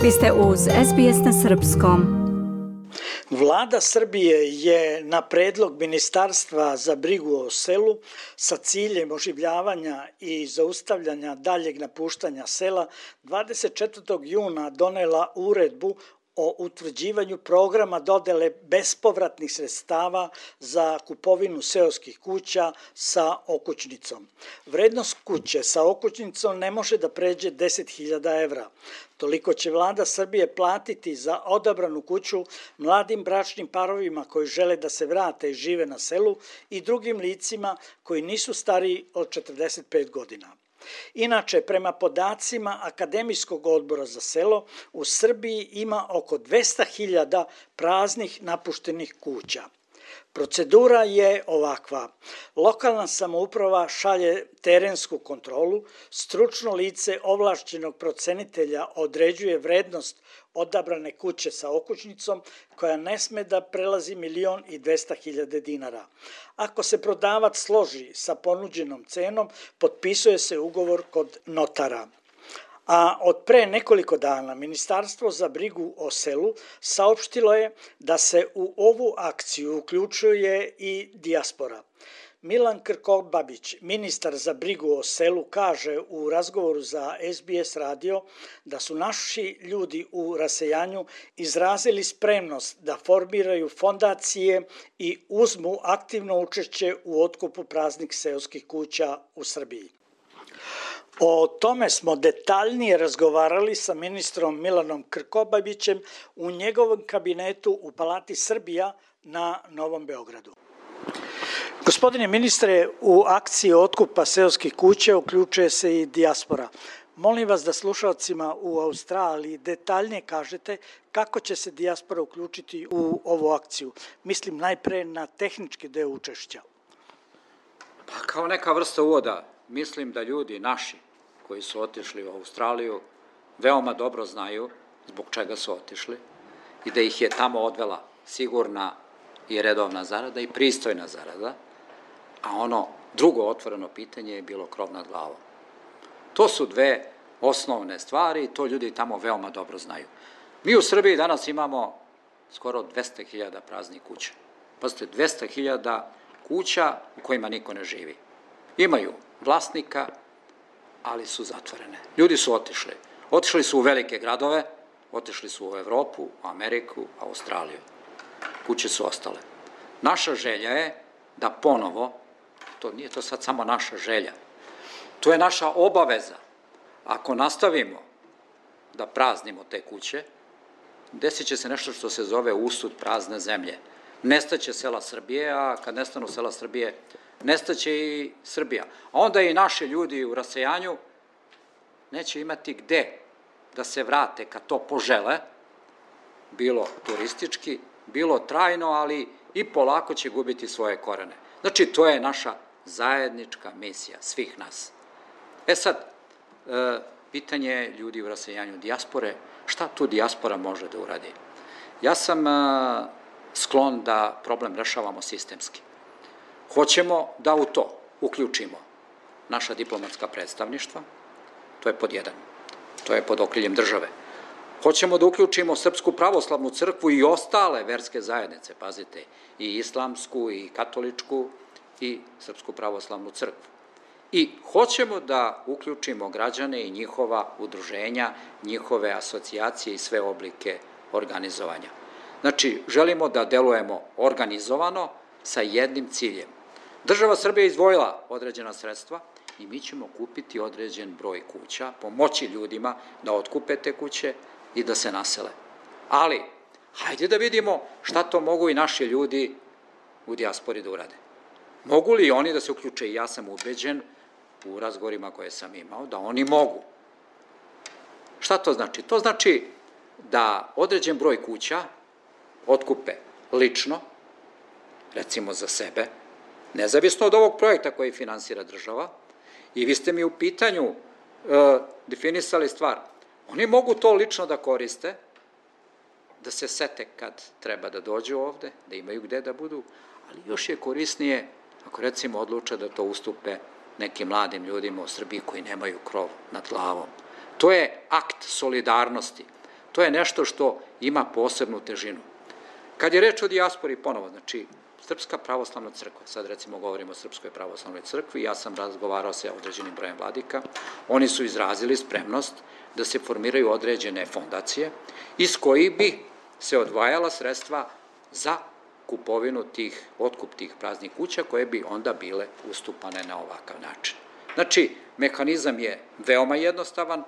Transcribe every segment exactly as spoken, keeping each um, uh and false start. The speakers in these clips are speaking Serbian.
Vi ste uz S B S na srpskom. Vlada Srbije je na predlog Ministarstva za brigu o selu sa ciljem oživljavanja i zaustavljanja daljeg napuštanja sela dvadeset četvrtog juna donela uredbu o utvrđivanju programa dodele bespovratnih sredstava za kupovinu seoskih kuća sa okućnicom. Vrednost kuće sa okućnicom ne može da pređe deset hiljada evra. Toliko će Vlada Srbije platiti za odabranu kuću mladim bračnim parovima koji žele da se vrate i žive na selu i drugim licima koji nisu stariji od četrdeset pet godina. Inače, prema podacima Akademijskog odbora za selo, u Srbiji ima oko dvesta hiljada praznih napuštenih kuća. Procedura je ovakva. Lokalna samouprava šalje terensku kontrolu, stručno lice ovlašćenog procenitelja određuje vrednost odabrane kuće sa okućnicom koja ne sme da prelazi milion i dvesta hiljada dinara. Ako se prodavac složi sa ponuđenom cenom, potpisuje se ugovor kod notara. A od pre nekoliko dana Ministarstvo za brigu o selu saopštilo je da se u ovu akciju uključuje i dijaspora. Milan Krkobabić, ministar za brigu o selu, kaže u razgovoru za S B S radio da su naši ljudi u rasejanju izrazili spremnost da formiraju fondacije i uzmu aktivno učešće u otkupu praznih seoskih kuća u Srbiji. O tome smo detaljnije razgovarali sa ministrom Milanom Krkobabićem u njegovom kabinetu u Palati Srbija na Novom Beogradu. Gospodine ministre, u akciji otkupa seoskih kuća uključuje se i dijaspora. Molim vas da slušalcima u Australiji detaljnije kažete kako će se dijaspora uključiti u ovu akciju. Mislim najpre na tehnički deo učešća. Pa kao neka vrsta uvoda, mislim da ljudi naši koji su otišli u Australiju veoma dobro znaju zbog čega su otišli i da ih je tamo odvela sigurna i redovna zarada i pristojna zarada, a ono drugo otvoreno pitanje je bilo krov nad glavom. To su dve osnovne stvari i to ljudi tamo veoma dobro znaju. Mi u Srbiji danas imamo skoro dvesta hiljada praznih kuća. Pazite, dvesta hiljada kuća u kojima niko ne živi. Imaju vlasnika, ali su zatvorene. Ljudi su otišli. Otišli su u velike gradove, otišli su u Evropu, u Ameriku, Australiju. Kuće su ostale. Naša želja je da ponovo, to nije to sad samo naša želja, to je naša obaveza. Ako nastavimo da praznimo te kuće, desit će se nešto što se zove usud prazne zemlje. Nestaće sela Srbije, a kad nestanu sela Srbije, nestaće i Srbija. A onda i naši ljudi u rasejanju neće imati gde da se vrate kad to požele, bilo turistički, bilo trajno, ali i polako će gubiti svoje korene. Znači, to je naša zajednička misija svih nas. E sad, e, pitanje ljudi u rasejanju dijaspore, šta tu dijaspora može da uradi? Ja sam e, sklon da problem rešavamo sistemski. Hoćemo da u to uključimo naša diplomatska predstavništva, to je pod jedan, to je pod okriljem države. Hoćemo da uključimo Srpsku pravoslavnu crkvu i ostale verske zajednice, pazite, i islamsku, i katoličku, i Srpsku pravoslavnu crkvu. I hoćemo da uključimo građane i njihova udruženja, njihove asocijacije i sve oblike organizovanja. Znači, želimo da delujemo organizovano sa jednim ciljem. Država Srbija je izdvojila određena sredstva i mi ćemo kupiti određen broj kuća, pomoći ljudima da otkupe te kuće i da se nasele. Ali, hajde da vidimo šta to mogu i naši ljudi u dijaspori da urade. Mogu li oni da se uključe? I ja sam ubeđen u razgovorima koje sam imao da oni mogu. Šta to znači? To znači da određen broj kuća otkupe lično, recimo za sebe, nezavisno od ovog projekta koji finansira država, i vi ste mi u pitanju e, definisali stvar. Oni mogu to lično da koriste, da se sete kad treba da dođu ovde, da imaju gde da budu, ali još je korisnije ako recimo odluče da to ustupe nekim mladim ljudima u Srbiji koji nemaju krov nad glavom. To je akt solidarnosti. To je nešto što ima posebnu težinu. Kad je reč o dijaspori ponovo, znači Srpska pravoslavna crkva, sad recimo govorimo o Srpskoj pravoslavnoj crkvi, ja sam razgovarao sa određenim brojem vladika, oni su izrazili spremnost da se formiraju određene fondacije iz kojih bi se odvajala sredstva za kupovinu tih, otkup tih praznih kuća koje bi onda bile ustupane na ovakav način. Znači, mehanizam je veoma jednostavan,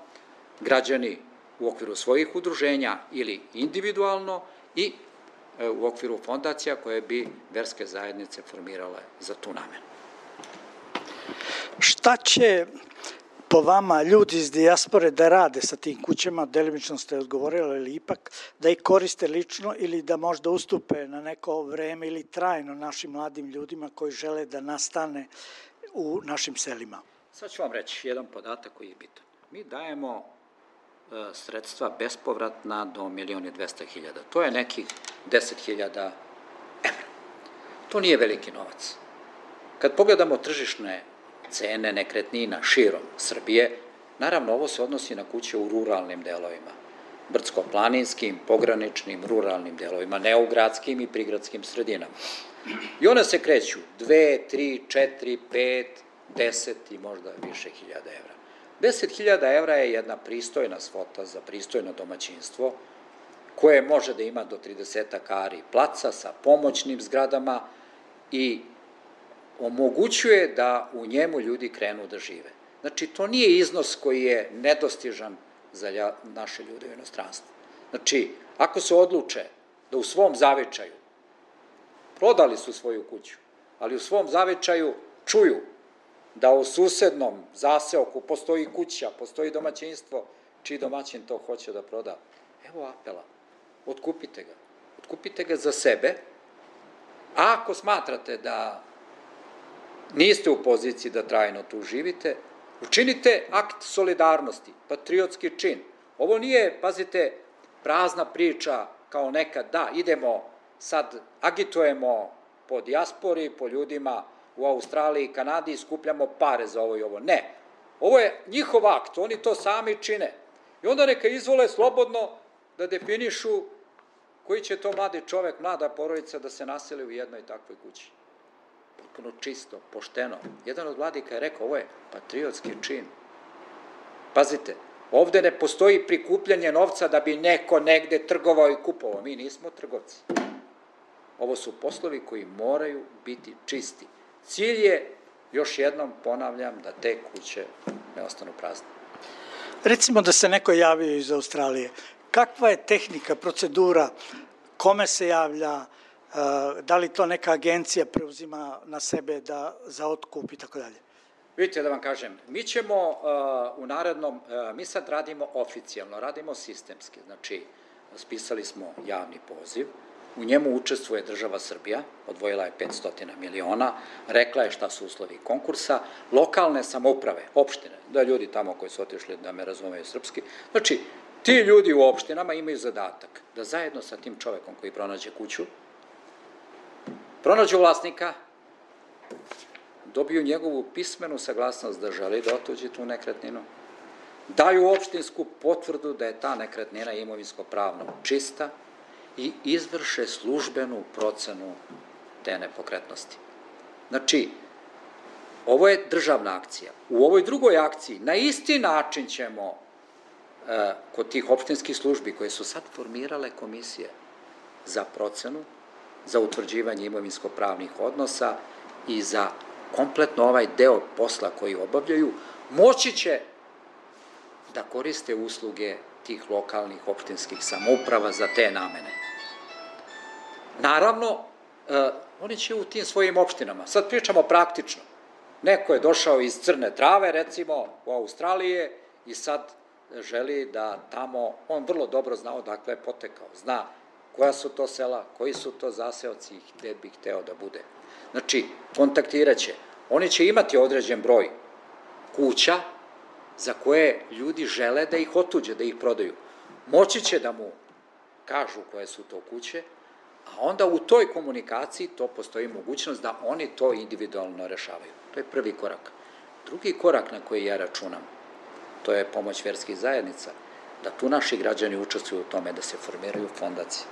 građani u okviru svojih udruženja ili individualno i u okviru fondacija koje bi verske zajednice formirale za tu namenu. Šta će po vama ljudi iz dijaspore da rade sa tim kućama, delimično ste odgovorili, ili ipak da ih koriste lično ili da možda ustupe na neko vreme ili trajno našim mladim ljudima koji žele da nastane u našim selima? Sad ću vam reći jedan podatak koji je bitan. Mi dajemo sredstva bespovratna do milion i dvesta hiljada. To je nekih deset hiljada evra. To nije veliki novac. Kad pogledamo tržišne cene nekretnina širom Srbije, naravno ovo se odnosi na kuće u ruralnim delovima, brdsko-planinskim, pograničnim, ruralnim delovima, ne u gradskim i prigradskim sredinama. I one se kreću dve, tri, četiri, pet, deset i možda više hiljada evra. deset hiljada evra je jedna pristojna svota za pristojno domaćinstvo koje može da ima do trideset ari placa sa pomoćnim zgradama i omogućuje da u njemu ljudi krenu da žive. Znači, to nije iznos koji je nedostižan za naše ljude u inostranstvu. Znači, ako se odluče da u svom zavičaju, prodali su svoju kuću, ali u svom zavičaju čuju da u susednom zaseoku postoji kuća, postoji domaćinstvo, čiji domaćin to hoće da proda. Evo apela, otkupite ga. Otkupite ga za sebe, a ako smatrate da niste u poziciji da trajno tu živite, učinite akt solidarnosti, patriotski čin. Ovo nije, pazite, prazna priča kao nekad, da, idemo, sad agitujemo po dijaspori, po ljudima u Australiji i Kanadi, skupljamo pare za ovo i ovo. Ne, ovo je njihov akt, oni to sami čine. I onda neka izvole slobodno da definišu koji će to mladi čovek, mlada porodica da se naseli u jednoj takvoj kući. Potpuno čisto, pošteno. Jedan od vladika je rekao, ovo je patriotski čin. Pazite, ovde ne postoji prikupljanje novca da bi neko negde trgovao i kupovao. Mi nismo trgovci. Ovo su poslovi koji moraju biti čisti. Cilj je, još jednom ponavljam, da te kuće ne ostanu prazne. Recimo da se neko javio iz Australije. Kakva je tehnika, procedura, kome se javlja, da li to neka agencija preuzima na sebe da za otkup i tako dalje? Vidite da vam kažem, mi ćemo u narednom, mi sad radimo oficijalno, radimo sistemski, znači spisali smo javni poziv, u njemu učestvuje država Srbija, odvojila je petsto miliona, rekla je šta su uslovi konkursa, lokalne samouprave, opštine, da ljudi tamo koji su otišli da me razumeju srpski, znači ti ljudi u opštinama imaju zadatak da zajedno sa tim čovekom koji pronađe kuću, pronađu vlasnika, dobiju njegovu pismenu saglasnost da želi da otuđi tu nekretninu, daju opštinsku potvrdu da je ta nekretnina imovinsko-pravno čista i izvrše službenu procenu te nepokretnosti. Znači, ovo je državna akcija. U ovoj drugoj akciji na isti način ćemo kod tih opštinskih službi koje su sad formirale komisije za procenu, za utvrđivanje imovinsko-pravnih odnosa i za kompletno ovaj deo posla koji obavljaju, moći će da koriste usluge tih lokalnih opštinskih samouprava za te namene. Naravno, oni će u tim svojim opštinama, sad pričamo praktično, neko je došao iz Crne Trave, recimo, u Australije i sad želi da tamo, on vrlo dobro zna odakle je potekao, zna koja su to sela, koji su to zaseoci i gde bi hteo da bude. Znači, kontaktirat će. Oni će imati određen broj kuća za koje ljudi žele da ih otuđe, da ih prodaju. Moći će da mu kažu koje su to kuće, a onda u toj komunikaciji to postoji mogućnost da oni to individualno rešavaju. To je prvi korak. Drugi korak na koji ja računam, to je pomoć verskih zajednica. da tu naši građani učestvuju u tome da se formiraju fondacije.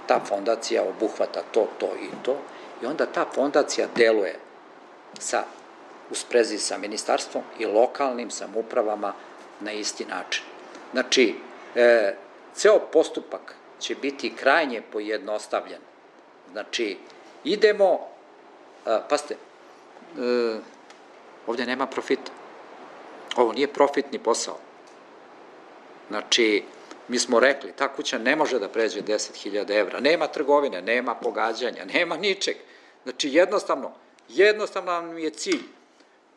Ta fondacija obuhvata to, to i to i onda ta fondacija deluje sa, u sprezi sa ministarstvom i lokalnim samoupravama na isti način. Znači, e, ceo postupak će biti krajnje pojednostavljen. Znači, idemo, a, pazite, e, ovdje nema profita. Ovo nije profitni posao. Znači, mi smo rekli, ta kuća ne može da pređe deset hiljada evra, nema trgovine, nema pogađanja, nema ničeg. Znači, jednostavno, jednostavno nam je cilj.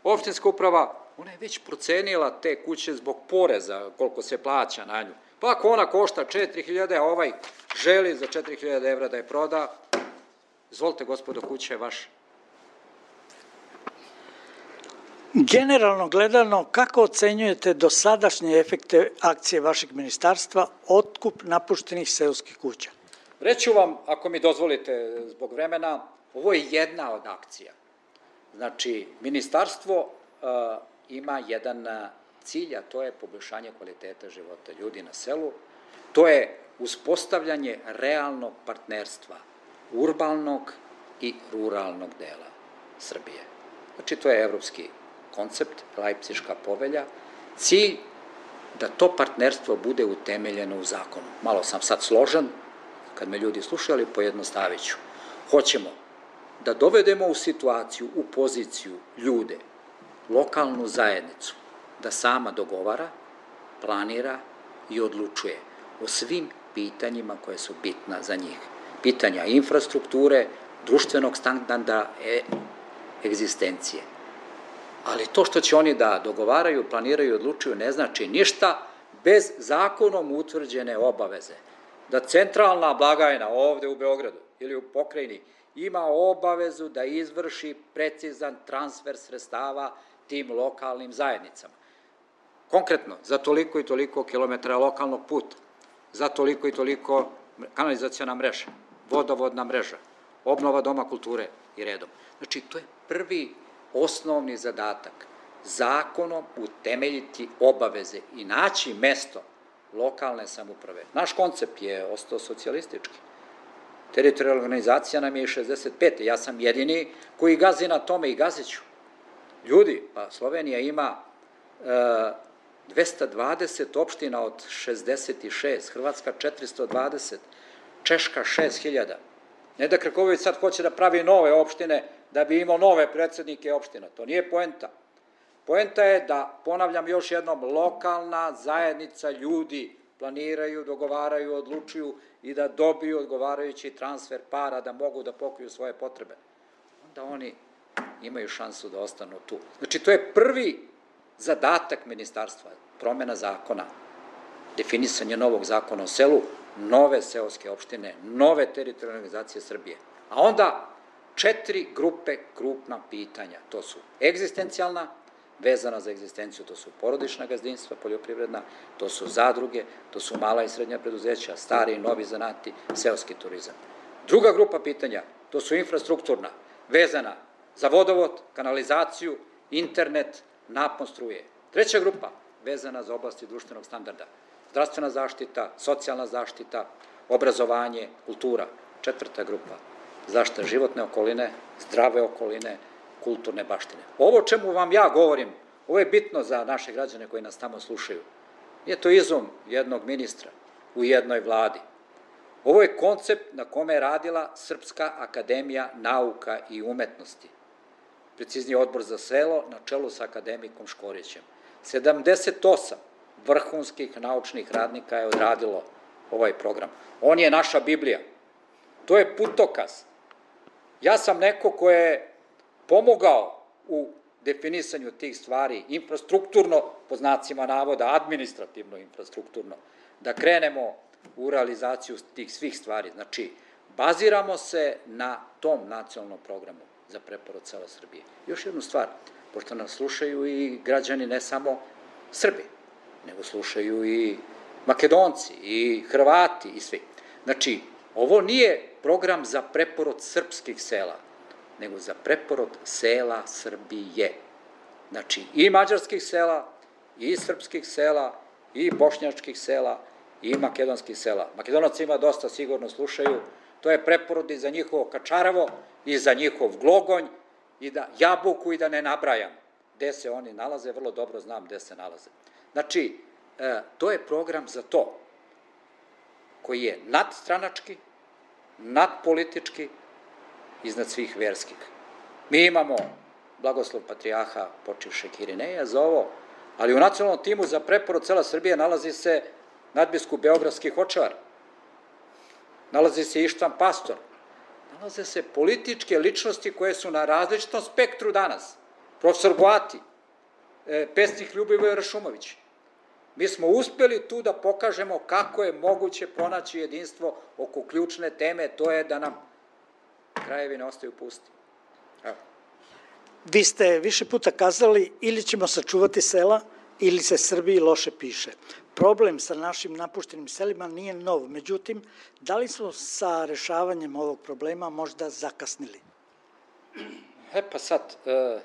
Opštinska uprava, ona je već procenila te kuće zbog poreza, koliko se plaća na nju. Pa ako ona košta četiri hiljade, a ovaj želi za četiri hiljade evra da je proda, izvolite, gospodo, kuća je vaša. Generalno gledano, kako ocenjujete dosadašnje efekte akcije vašeg ministarstva, otkup napuštenih seoskih kuća? Reću vam, ako mi dozvolite zbog vremena, ovo je jedna od akcija. Znači, ministarstvo uh, ima jedan cilj, a to je poboljšanje kvaliteta života ljudi na selu. To je uspostavljanje realnog partnerstva urbanog i ruralnog dela Srbije. Znači, to je evropski koncept, Lajpciška povelja, cilj da to partnerstvo bude utemeljeno u zakonu. Malo sam sad složen, kad me ljudi slušaju, ali pojednostavit ću. Hoćemo da dovedemo u situaciju, u poziciju ljude, lokalnu zajednicu, da sama dogovara, planira i odlučuje o svim pitanjima koje su bitna za njih. Pitanja infrastrukture, društvenog standarda, e, egzistencije. Ali to što će oni da dogovaraju, planiraju i odlučuju ne znači ništa bez zakonom utvrđene obaveze. Da centralna blagajna ovde u Beogradu ili u pokrajini ima obavezu da izvrši precizan transfer sredstava tim lokalnim zajednicama. Konkretno, za toliko i toliko kilometara lokalnog puta, za toliko i toliko kanalizacijona mreža, vodovodna mreža, obnova doma kulture i redom. Znači, to je prvi osnovni zadatak. Zakonom utemeljiti obaveze i naći mesto lokalne samouprave. Naš koncept je ostao socijalistički. Teritorijalna organizacija nam je iz šezdeset pete. Ja sam jedini koji gazi na tome i gazit ću. Ljudi, pa Slovenija ima e, dvesta dvadeset opština od šezdeset šest, Hrvatska četiristo dvadeset, Češka šest hiljada. Ne da Krković sad hoće da pravi nove opštine da bi imao nove predsednike opština. To nije poenta. Poenta je da, ponavljam još jednom, lokalna zajednica ljudi planiraju, dogovaraju, odlučuju i da dobiju odgovarajući transfer para da mogu da pokriju svoje potrebe. Onda oni imaju šansu da ostanu tu. Znači, to je prvi zadatak ministarstva, promena zakona, definisanje novog zakona o selu, nove seoske opštine, nove teritorijalne organizacije Srbije. A onda četiri grupe krupna pitanja. To su egzistencijalna, vezana za egzistenciju, to su porodična gazdinstva, poljoprivredna, to su zadruge, to su mala i srednja preduzeća, stari i novi zanati, seoski turizam. Druga grupa pitanja, to su infrastrukturna, vezana za vodovod, kanalizaciju, internet, napon struje. Treća grupa, vezana za oblasti društvenog standarda, zdravstvena zaštita, socijalna zaštita, obrazovanje, kultura. Četvrta grupa, zaštita životne okoline, zdrave okoline, kulturne baštine. Ovo čemu vam ja govorim, ovo je bitno za naše građane koji nas tamo slušaju. Nije to izum jednog ministra u jednoj vladi. Ovo je koncept na kome je radila Srpska akademija nauka i umetnosti. Preciznije Odbor za selo na čelu sa akademikom Škorićem. sedamdeset osam vrhunskih naučnih radnika je odradilo ovaj program. On je naša Biblija. To je putokaz. Ja sam neko ko je pomogao u definisanju tih stvari, infrastrukturno, po znacima navoda, administrativno infrastrukturno, da krenemo u realizaciju tih svih stvari. Znači, baziramo se na tom nacionalnom programu za preporod sela Srbije. Još jednu stvar, pošto nas slušaju i građani ne samo Srbi, nego slušaju i Makedonci, i Hrvati, i svi. Znači, ovo nije program za preporod srpskih sela, nego za preporod sela Srbije. Znači, i mađarskih sela, i srpskih sela, i bošnjačkih sela i makedonskih sela. Makedonaca ima dosta, sigurno slušaju, to je preporod i za njihovo Kačarevo i za njihov Glogonj i da Jabuku i da ne nabrajam gde se oni nalaze, vrlo dobro znam gde se nalaze. Znači, to je program za to, koji je nadstranački, nadpolitički, iznad svih verskih. Mi imamo blagoslov patrijarha počivšeg Irineja za ovo, ali u nacionalnom timu za preporod cela Srbije nalazi se nadbiskup beogradskih Hočevar, nalazi se Ištvan Pastor, nalaze se političke ličnosti koje su na različitom spektru danas. Profesor Goati, pesnik Ljubivoje Rašumović. Mi smo uspeli tu da pokažemo kako je moguće pronaći jedinstvo oko ključne teme, to je da nam krajevi ne ostaju pusti. Evo. Vi ste više puta kazali ili ćemo sačuvati sela ili se Srbiji loše piše. Problem sa našim napuštenim selima nije nov, međutim, da li smo sa rešavanjem ovog problema možda zakasnili? E pa sad, e,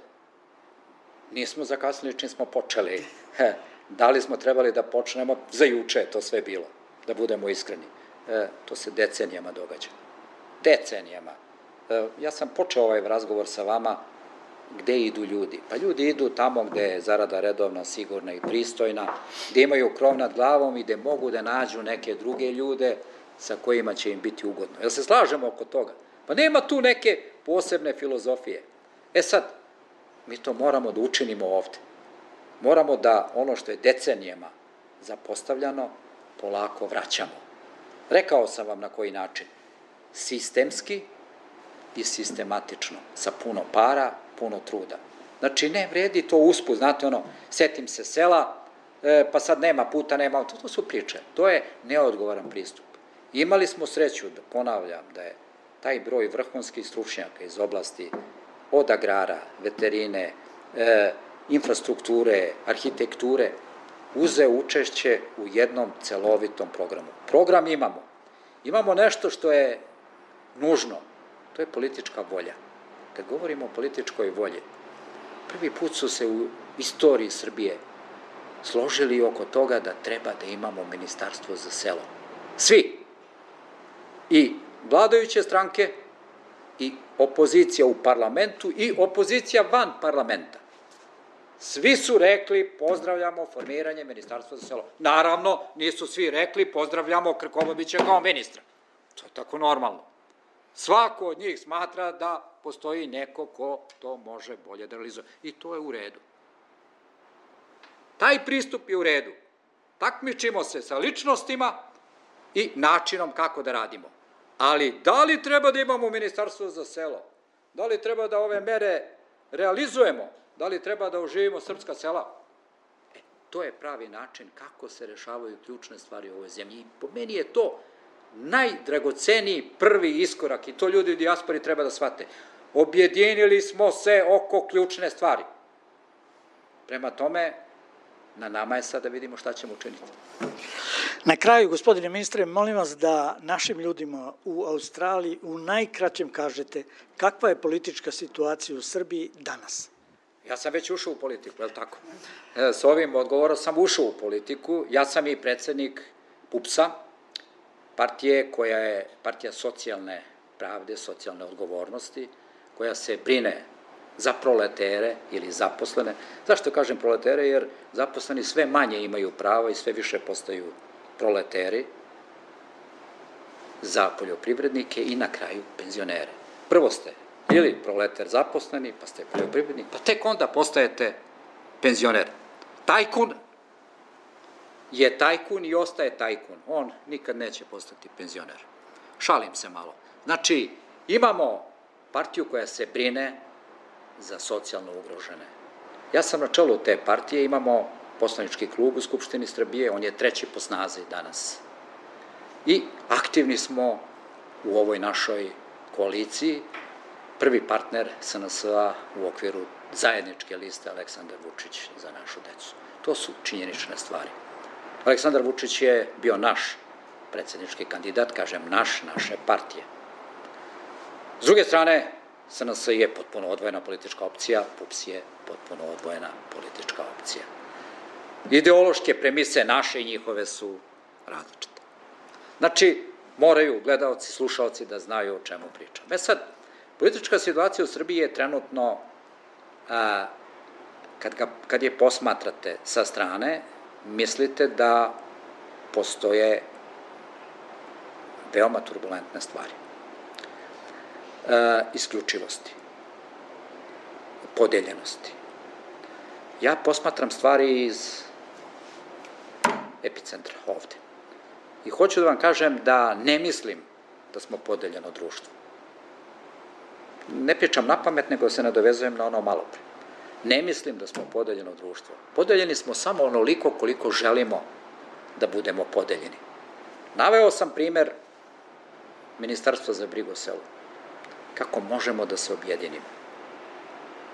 nismo zakasnili čim smo počeli. E, da li smo trebali da počnemo? Za juče je to sve bilo, da budemo iskreni. E, to se decenijama događa. Decenijama. E, ja sam počeo ovaj razgovor sa vama, gde idu ljudi? Pa ljudi idu tamo gde je zarada redovna, sigurna i pristojna, gde imaju krov nad glavom i gde mogu da nađu neke druge ljude sa kojima će im biti ugodno. Jel se slažemo oko toga? Pa nema tu neke posebne filozofije. E sad, mi to moramo da učinimo ovde. Moramo da ono što je decenijama zapostavljano, polako vraćamo. Rekao sam vam na koji način. Sistemski i sistematično, sa puno para, puno truda. Znači, ne vredi to usput, znate ono, setim se sela, e, pa sad nema puta, nema, to, to su priče. To je neodgovoran pristup. Imali smo sreću, da ponavljam, da je taj broj vrhunskih stručnjaka iz oblasti od agrara, veterine, e, infrastrukture, arhitekture, uzeo učešće u jednom celovitom programu. Program imamo. Imamo nešto što je nužno, to je politička volja. Kad govorimo o političkoj volji, prvi put su se u istoriji Srbije složili oko toga da treba da imamo ministarstvo za selo. Svi. I vladajuće stranke, i opozicija u parlamentu, i opozicija van parlamenta. Svi su rekli pozdravljamo formiranje ministarstva za selo. Naravno, nisu svi rekli pozdravljamo Krkobabića kao ministra. To je tako normalno. Svako od njih smatra da postoji neko ko to može bolje da realizuje. I to je u redu. Taj pristup je u redu. Takmičimo se sa ličnostima i načinom kako da radimo. Ali da li treba da imamo ministarstvo za selo? Da li treba da ove mere realizujemo? Da li treba da oživimo srpska sela? E, to je pravi način kako se rešavaju ključne stvari u ovoj zemlji. I po meni je to najdragoceniji prvi iskorak i to ljudi u dijaspori treba da shvate. Objedinili smo se oko ključne stvari. Prema tome, na nama je sad da vidimo šta ćemo učiniti. Na kraju, gospodine ministre, molim vas da našim ljudima u Australiji u najkraćem kažete kakva je politička situacija u Srbiji danas. Ja sam već ušao u politiku, je li tako? E, s ovim odgovorom sam ušao u politiku. Ja sam i predsednik P U P S-a, partije koja je partija socijalne pravde, socijalne odgovornosti, koja se brine za proletere ili zaposlene. Zašto kažem proletere? Jer zaposleni sve manje imaju prava i sve više postaju proleteri za poljoprivrednike i na kraju penzionere. Prvo ste ili proleter zaposleni, pa ste poljoprivrednik, pa tek onda postajete penzioner. Tajkun je tajkun i ostaje tajkun. On nikad neće postati penzioner. Šalim se malo. Znači, imamo partiju koja se brine za socijalno ugrožene. Ja sam na čelu te partije, imamo poslanički klub u Skupštini Srbije, on je treći po snazi danas. I aktivni smo u ovoj našoj koaliciji, prvi partner S N S-a u okviru zajedničke liste Aleksandar Vučić za našu decu. To su činjenične stvari. Aleksandar Vučić je bio naš predsjednički kandidat, kažem naš, naše partije. S druge strane, S N S je potpuno odvojena politička opcija, P U P S je potpuno odvojena politička opcija. Ideološke premise naše i njihove su različite. Znači, moraju gledaoci, slušaoci da znaju o čemu pričam. E sad, politička situacija u Srbiji je trenutno, a, kad, ga, kad je posmatrate sa strane, mislite da postoje veoma turbulentne stvari. E, isključivosti, podeljenosti. Ja posmatram stvari iz epicentra ovde. I hoću da vam kažem da ne mislim da smo podeljeno društvo. Ne pričam na pamet, nego se nadovezujem na ono malo pre. Ne mislim da smo podeljeno društvo. Podeljeni smo samo onoliko koliko želimo da budemo podeljeni. Naveo sam primer Ministarstva za brigu o selu. Kako možemo da se objedinimo?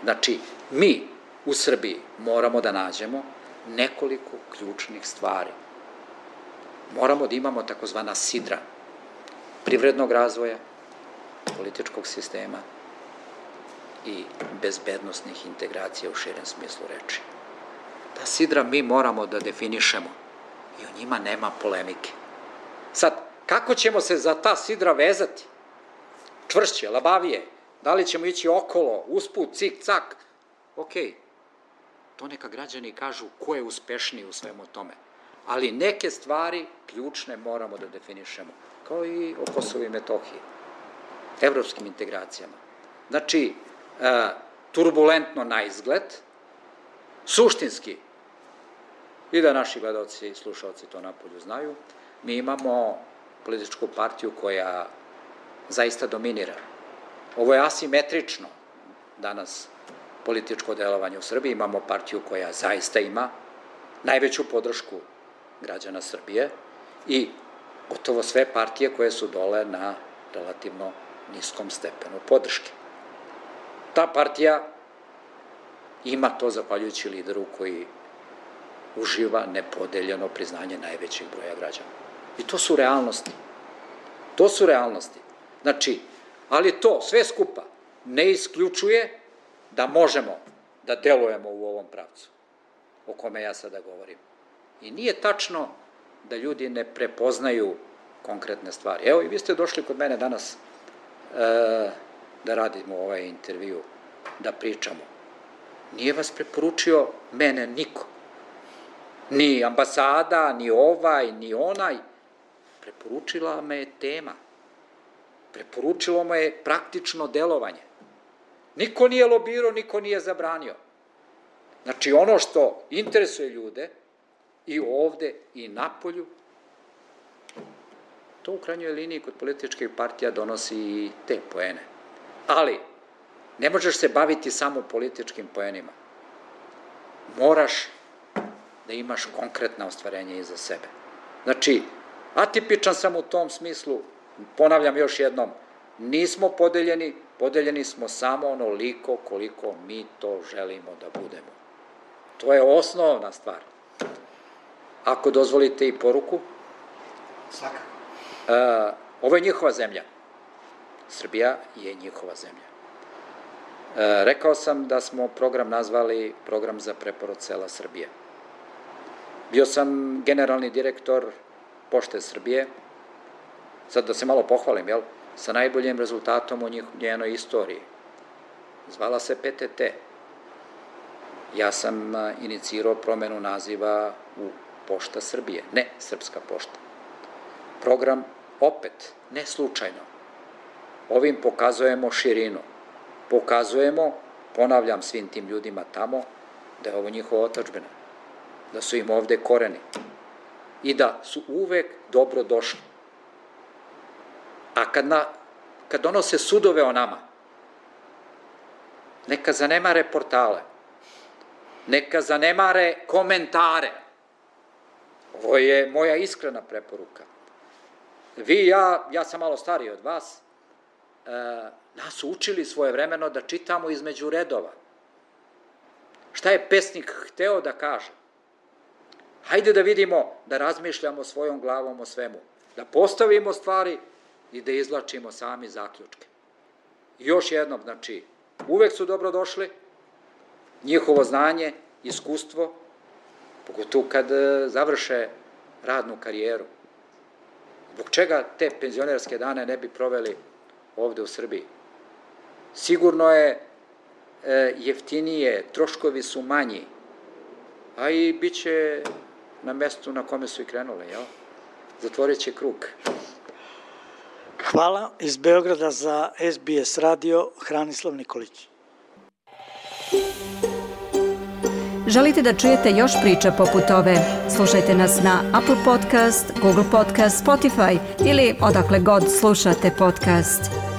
Znači, mi u Srbiji moramo da nađemo nekoliko ključnih stvari. Moramo da imamo takozvana sidra privrednog razvoja, političkog sistema i bezbednosnih integracija u širem smislu reči. Ta sidra mi moramo da definišemo i o njima nema polemike. Sad, kako ćemo se za ta sidra vezati? Čvršće, labavije, da li ćemo ići okolo, usput, cik, cak? Ok, to neka građani kažu ko je uspešniji u svemu tome. Ali neke stvari ključne moramo da definišemo, kao i o Kosovu i Metohiji, evropskim integracijama. Znači, e, turbulentno na izgled, suštinski, i da naši gledalci i slušalci to napolju znaju, mi imamo političku partiju koja zaista dominira. Ovo je asimetrično danas političko delovanje u Srbiji. Imamo partiju koja zaista ima najveću podršku građana Srbije i gotovo sve partije koje su dole na relativno niskom stepenu podrške. Ta partija ima to zahvaljujući lideru koji uživa nepodeljeno priznanje najvećeg broja građana. I to su realnosti. To su realnosti. Znači, ali to sve skupa ne isključuje da možemo da delujemo u ovom pravcu o kome ja sada govorim. I nije tačno da ljudi ne prepoznaju konkretne stvari. Evo i vi ste došli kod mene danas e, da radimo ovaj intervju, da pričamo. Nije vas preporučio mene niko. Ni ambasada, ni ovaj, ni onaj. Preporučila me je tema. Preporučilo me je praktično delovanje. Niko nije lobirao, niko nije zabranio. Znači, ono što interesuje ljude i ovde i napolju, to u krajnjoj liniji kod političkih partija donosi i te poene. Ali, ne možeš se baviti samo političkim poenima. Moraš da imaš konkretna ostvarenja iza sebe. Znači, atipičan sam u tom smislu, ponavljam još jednom, nismo podeljeni, podeljeni smo samo onoliko koliko mi to želimo da budemo. To je osnovna stvar. Ako dozvolite i poruku, svakako. Uh, ovo je njihova zemlja. Srbija je njihova zemlja. Uh, rekao sam da smo program nazvali program za preporod sela Srbije. Bio sam generalni direktor Pošte Srbije, sad da se malo pohvalim, jel? Sa najboljim rezultatom u njenoj istoriji. Zvala se P T T. Ja sam inicirao promenu naziva u Pošta Srbije, ne Srpska pošta. Program opet, ne slučajno. Ovim pokazujemo širinu. Pokazujemo, ponavljam svim tim ljudima tamo, da je ovo njihova otadžbina, da su im ovde koreni i da su uvek dobro došli. A kad, na, kad donose sudove o nama, neka zanemare portale, neka zanemare komentare. Ovo je moja iskrena preporuka. Vi, ja, ja sam malo stariji od vas, e, nas su učili svojevremeno da čitamo između redova. Šta je pesnik hteo da kaže? Hajde da vidimo, da razmišljamo svojom glavom o svemu, da postavimo stvari i da izvlačimo sami zaključke. I još jednom, znači, uvek su dobro došli, njihovo znanje, iskustvo pogotovo kad završe radnu karijeru. Zbog čega te penzionerske dane ne bi proveli ovde u Srbiji? Sigurno je e, jeftinije, troškovi su manji, a i bit će na mestu na kome su i krenule, jel? Zatvorit će krug. Hvala. Iz Beograda za S B S radio, Hranislav Nikolić. Želite da čujete još priča poput ove? Slušajte nas na Apple Podcast, Google Podcast, Spotify ili odakle god slušate podcast.